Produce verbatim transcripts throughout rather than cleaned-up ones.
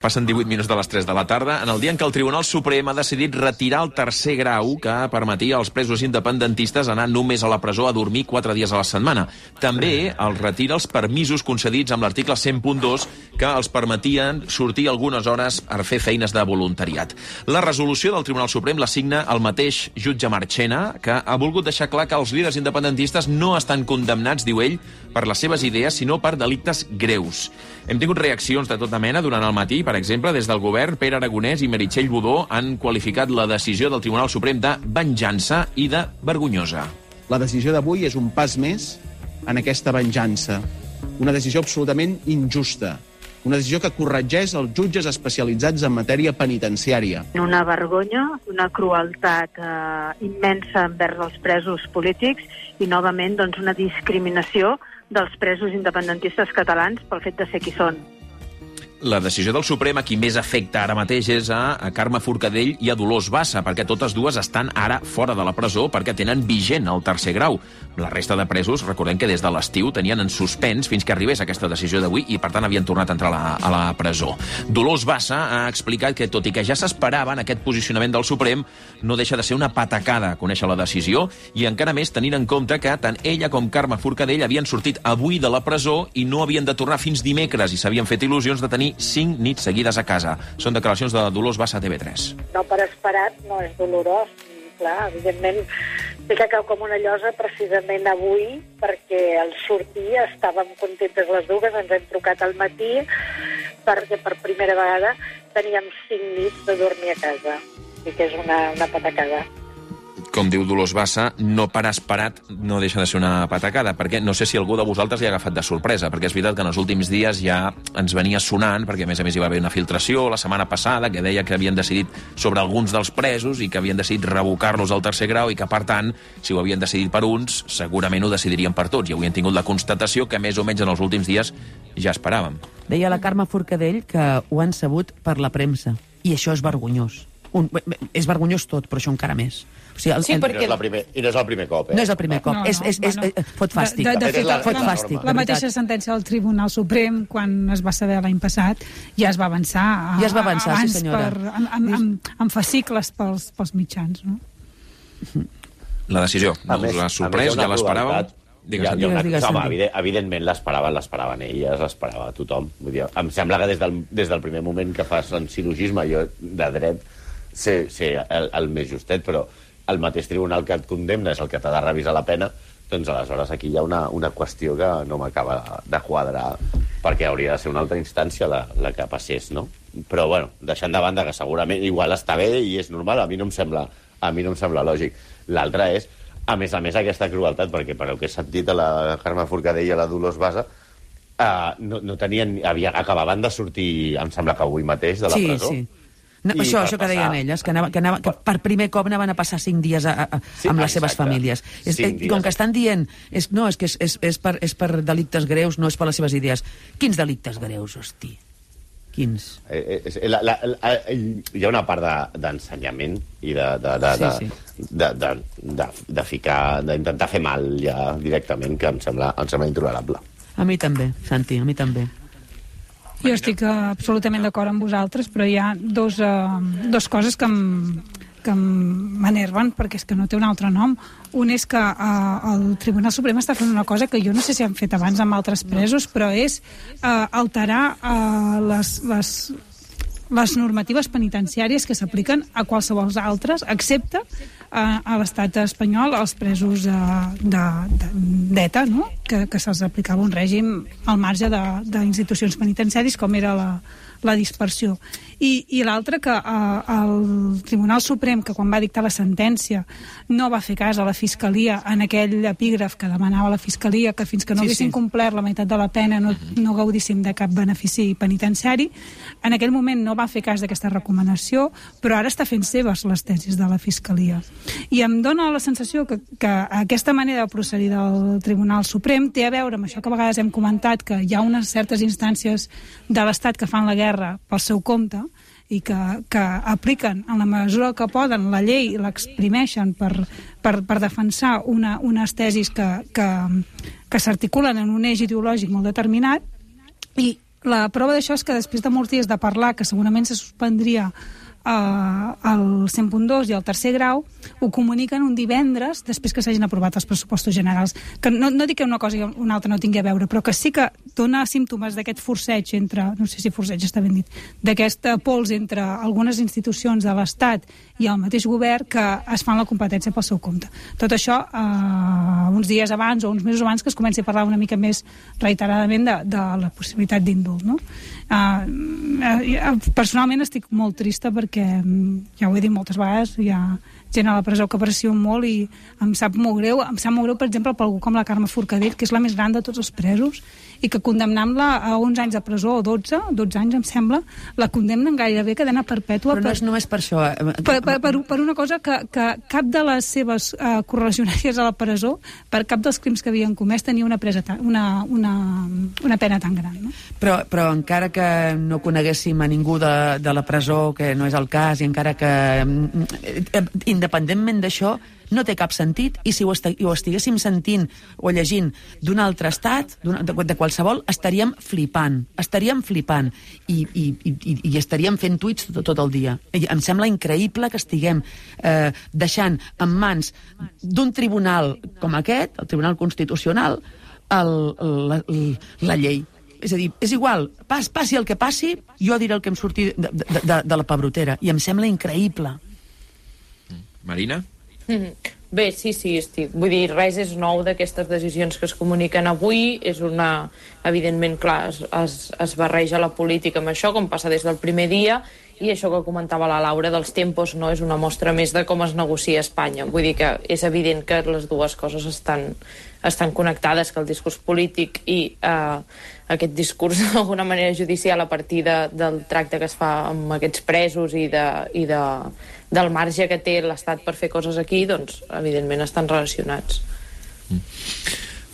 Passen divuit minuts de les tres de la tarda, en el dia en què el Tribunal Suprem ha decidit retirar el tercer grau que permetia als presos independentistes anar només a la presó a dormir quatre dies a la setmana. També els retira els permisos concedits amb l'article cent punt dos que els permetien sortir algunes hores per fer feines de voluntariat. La resolució del Tribunal Suprem la signa el mateix jutge Marchena, que ha volgut deixar clar que els líders independentistes no estan condemnats, diu ell, per les seves idees, sinó per delictes greus. Hem tingut reaccions de tota mena durant el matí. Per exemple, des del govern, Pere Aragonès i Meritxell Budó han qualificat la decisió del Tribunal Suprem de venjança i de vergonyosa. La decisió d'avui és un pas més en aquesta venjança. Una decisió absolutament injusta. Una decisió que corregeix els jutges especialitzats en matèria penitenciària. Una vergonya, una crueltat eh, immensa envers els presos polítics i, novament, doncs, una discriminació dels presos independentistes catalans pel fet de ser qui són. La decisió del Suprem a qui més afecta ara mateix és a, a Carme Forcadell i a Dolors Bassa, perquè totes dues estan ara fora de la presó perquè tenen vigent el tercer grau. La resta de presos, recordem que des de l'estiu tenien en suspens fins que arribés aquesta decisió d'avui i, per tant, havien tornat a entrar a la, a la presó. Dolors Bassa ha explicat que, tot i que ja s'esperava en aquest posicionament del Suprem, no deixa de ser una patacada conèixer la decisió i encara més tenint en compte que tant ella com Carme Forcadell havien sortit avui de la presó i no havien de tornar fins dimecres i s'havien fet il·lusions de tenir cinc nits seguides a casa. Són declaracions de Dolors Bassa a T V tres. No per esperat, no és dolorós. Clar, evidentment, sé que cau com una llosa precisament avui, perquè al sortir estàvem contentes les dues, ens hem trucat al matí, perquè per primera vegada teníem cinc nits de dormir a casa. I que és una, una patacada. Com diu Dolors Bassa, no per esperat no deixa de ser una patacada, perquè no sé si algú de vosaltres li ha agafat de sorpresa, perquè és veritat que en els últims dies ja ens venia sonant, perquè a més a més hi va haver una filtració la setmana passada que deia que havien decidit sobre alguns dels presos i que havien decidit revocar-los al tercer grau i que, per tant, si ho havien decidit per uns, segurament ho decidirien per tots. I avui hem tingut la constatació que més o menys en els últims dies ja esperàvem. Deia la Carme Forcadell que ho han sabut per la premsa, i això és vergonyós. Un, és vergonyós tot, però això encara més. O sigui, el, sí, perquè... I no és el primer, i no és el primer cop, eh? No és el primer cop, no, no, és, és, és, bueno, fot fàstic. De, de, de fet, la, fot la, fàstic, la mateixa sentència del Tribunal Suprem, quan es va saber l'any passat, ja es va avançar, a, ja es va avançar, abans sí, senyora. Per, amb, amb, amb, amb fascicles pels, pels mitjans, no? La decisió, no us l'ha sorprès, ja l'esperàveu? Digues, ja, digues, digues, home, evident, evidentment l'esperaven, l'esperaven elles, l'esperava tothom. Vull dir, em sembla que des del, des del primer moment que fas en silogisme, jo de dret sé, sé el, el més justet, però el mateix tribunal que et condemna és el que t'ha de revisar la pena, doncs aleshores aquí hi ha una, una qüestió que no m'acaba de quadrar, perquè hauria de ser una altra instància la, la que passés, no? Però, bueno, deixant de banda que segurament igual està bé i és normal, a mi no em sembla, a mi no em sembla lògic. L'altre és, a més a més, aquesta crueltat, perquè per el que he sentit a la Carme Forcadell i a la Dolors Bassa, uh, no, no tenien, havia, acabaven de sortir, em sembla que avui mateix, de la sí, presó. Sí. No, això, això que deien elles, que, anava, que, anava, que per primer cop anaven a passar cinc dies a, a, sí, amb les exacte. seves famílies. És, eh, com que estan dient, és, no, és que és, és, és, per, és per delictes greus, no és per les seves idees. Quins delictes greus, hosti? Quins? Eh, eh, la, la, la, hi ha una part d'ensenyament de, i de, de, de, sí, sí. de, de, de, de, de ficar, d'intentar fer mal ja directament, que em sembla, em sembla intolerable. A mi també, Santi, a mi també. Jo estic absolutament d'acord amb vosaltres, però hi ha dos, uh, dos coses que em, que m'enerven, perquè és que no té un altre nom. Un és que uh, el Tribunal Suprem està fent una cosa que jo no sé si han fet abans amb altres presos, però és uh, alterar uh, les, les, les normatives penitenciàries que s'apliquen a qualsevol altres, excepte uh, a l'estat espanyol, als presos uh, d'ETA, no? que, que se'ls aplicava un règim al marge d'institucions penitenciàries com era la, la dispersió. I, i l'altre, que uh, el Tribunal Suprem, que quan va dictar la sentència no va fer cas a la Fiscalia en aquell epígraf que demanava la Fiscalia que fins que no sí, haguessin sí. complert la meitat de la pena no, no gaudíssim de cap benefici penitenciari, en aquell moment no va fer cas d'aquesta recomanació, però ara està fent seves les tesis de la Fiscalia. I em dóna la sensació que, que aquesta manera de procedir del Tribunal Suprem té a veure amb això que a vegades hem comentat, que hi ha unes certes instàncies de l'Estat que fan la guerra pel seu compte i que, que apliquen en la mesura que poden la llei i l'exprimeixen per, per, per defensar una, unes tesis que, que, que s'articulen en un eix ideològic molt determinat, i la prova d'això és que després de molts dies de parlar, que segurament se suspendria Uh, el cent punt dos i el tercer grau, ho comuniquen un divendres després que s'hagin aprovat els pressupostos generals, que no, no dic que una cosa i una altra no tingui a veure, però que sí que dona símptomes d'aquest forceig entre, no sé si forceig està ben dit, d'aquest pols entre algunes institucions de l'Estat i el mateix govern que es fan la competència pel seu compte. Tot això uh, uns dies abans o uns mesos abans que es comenci a parlar una mica més reiteradament de, de la possibilitat d'indult, no? Uh, uh, personalment estic molt trista perquè que ja ho he dit moltes vegades, hi ha gent a la presó que aprecio molt i em sap molt greu, em sap molt greu, per exemple, per algú com la Carme Forcadell, que és la més gran de tots els presos, i que condemnant-la a onze anys de presó, o dotze, dotze anys, em sembla, la condemnen gairebé cadena perpètua. Però no és només per això. Per, per, per, per una cosa que, que cap de les seves uh, correligionàries a la presó, per cap dels crims que havien comès, tenia una, presa ta, una, una, una pena tan gran. No? Però, però encara que no coneguéssim a ningú de, de la presó, que no és el cas, i encara que, independentment d'això, no té cap sentit, i si ho, est ho estiguéssim sentint o llegint d'un altre estat, de, de qualsevol, estaríem flipant, estaríem flipant, i, i, i, i estaríem fent tuits tot, tot el dia. I em sembla increïble que estiguem eh, deixant en mans d'un tribunal com aquest, el Tribunal Constitucional, el, la, la llei. És a dir, és igual, pas, passi el que passi, jo diré el que em surti de, de, de, de la pebrotera, i em sembla increïble. Marina? Mm-hmm. Bé, sí, sí, estic. Vull dir, res és nou d'aquestes decisions que es comuniquen avui. És una... Evidentment, clar, es, es, es barreja la política amb això, com passa des del primer dia, i això que comentava la Laura dels tempos no és una mostra més de com es negocia a Espanya. Vull dir que és evident que les dues coses estan, estan connectades, que el discurs polític i eh, aquest discurs d'alguna manera judicial a partir de, del tracte que es fa amb aquests presos i, de, i de, del marge que té l'Estat per fer coses aquí, doncs evidentment estan relacionats. Mm.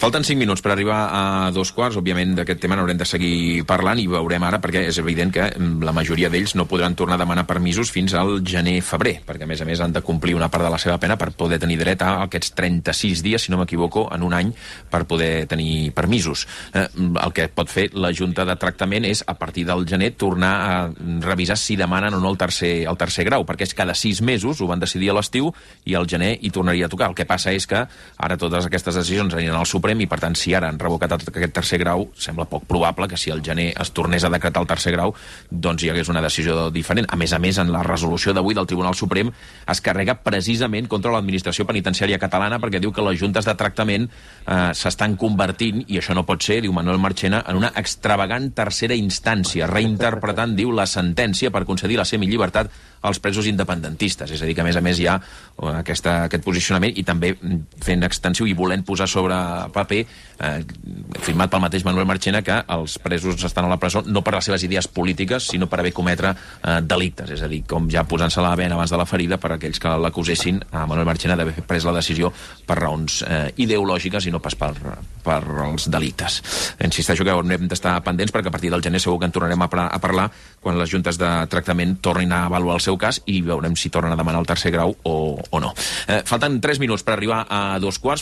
Falten cinc minuts per arribar a dos quarts. Òbviament, d'aquest tema n'haurem de seguir parlant i veurem ara, perquè és evident que la majoria d'ells no podran tornar a demanar permisos fins al gener-febrer, perquè, a més a més, han de complir una part de la seva pena per poder tenir dret a aquests trenta-sis dies, si no m'equivoco, en un any, per poder tenir permisos. Eh, el que pot fer la Junta de Tractament és, a partir del gener, tornar a revisar si demanen o no el tercer, el tercer grau, perquè és cada sis mesos, ho van decidir a l'estiu, i al gener hi tornaria a tocar. El que passa és que ara totes aquestes decisions aniran al Suprem, i per tant, si ara han revocat aquest tercer grau, sembla poc probable que si al gener es tornés a decretar el tercer grau, doncs hi hagués una decisió diferent. A més a més, en la resolució d'avui del Tribunal Suprem es carrega precisament contra l'administració penitenciària catalana, perquè diu que les juntes de tractament eh, s'estan convertint, i això no pot ser, diu Manuel Marchena, en una extravagant tercera instància, reinterpretant, diu, la sentència per concedir la semillibertat als presos independentistes. És a dir, que a més a més hi ha aquesta, aquest posicionament, i també fent extensiu i volent posar sobre paper, eh, firmat pel mateix Manuel Marchena, que els presos estan a la presó no per les seves idees polítiques, sinó per haver cometre eh, delictes. És a dir, com ja posant-se la bena abans de la ferida per aquells que l'acusessin a Manuel Marchena d'haver pres la decisió per raons eh, ideològiques i no pas per, per els delictes. Insisteixo que hem d'estar pendents, perquè a partir del gener segur que en tornarem a, a parlar quan les juntes de tractament tornin a avaluar el seu cas, i veurem si tornen a demanar el tercer grau o, o no. Eh, falten tres minuts per arribar a dos quarts.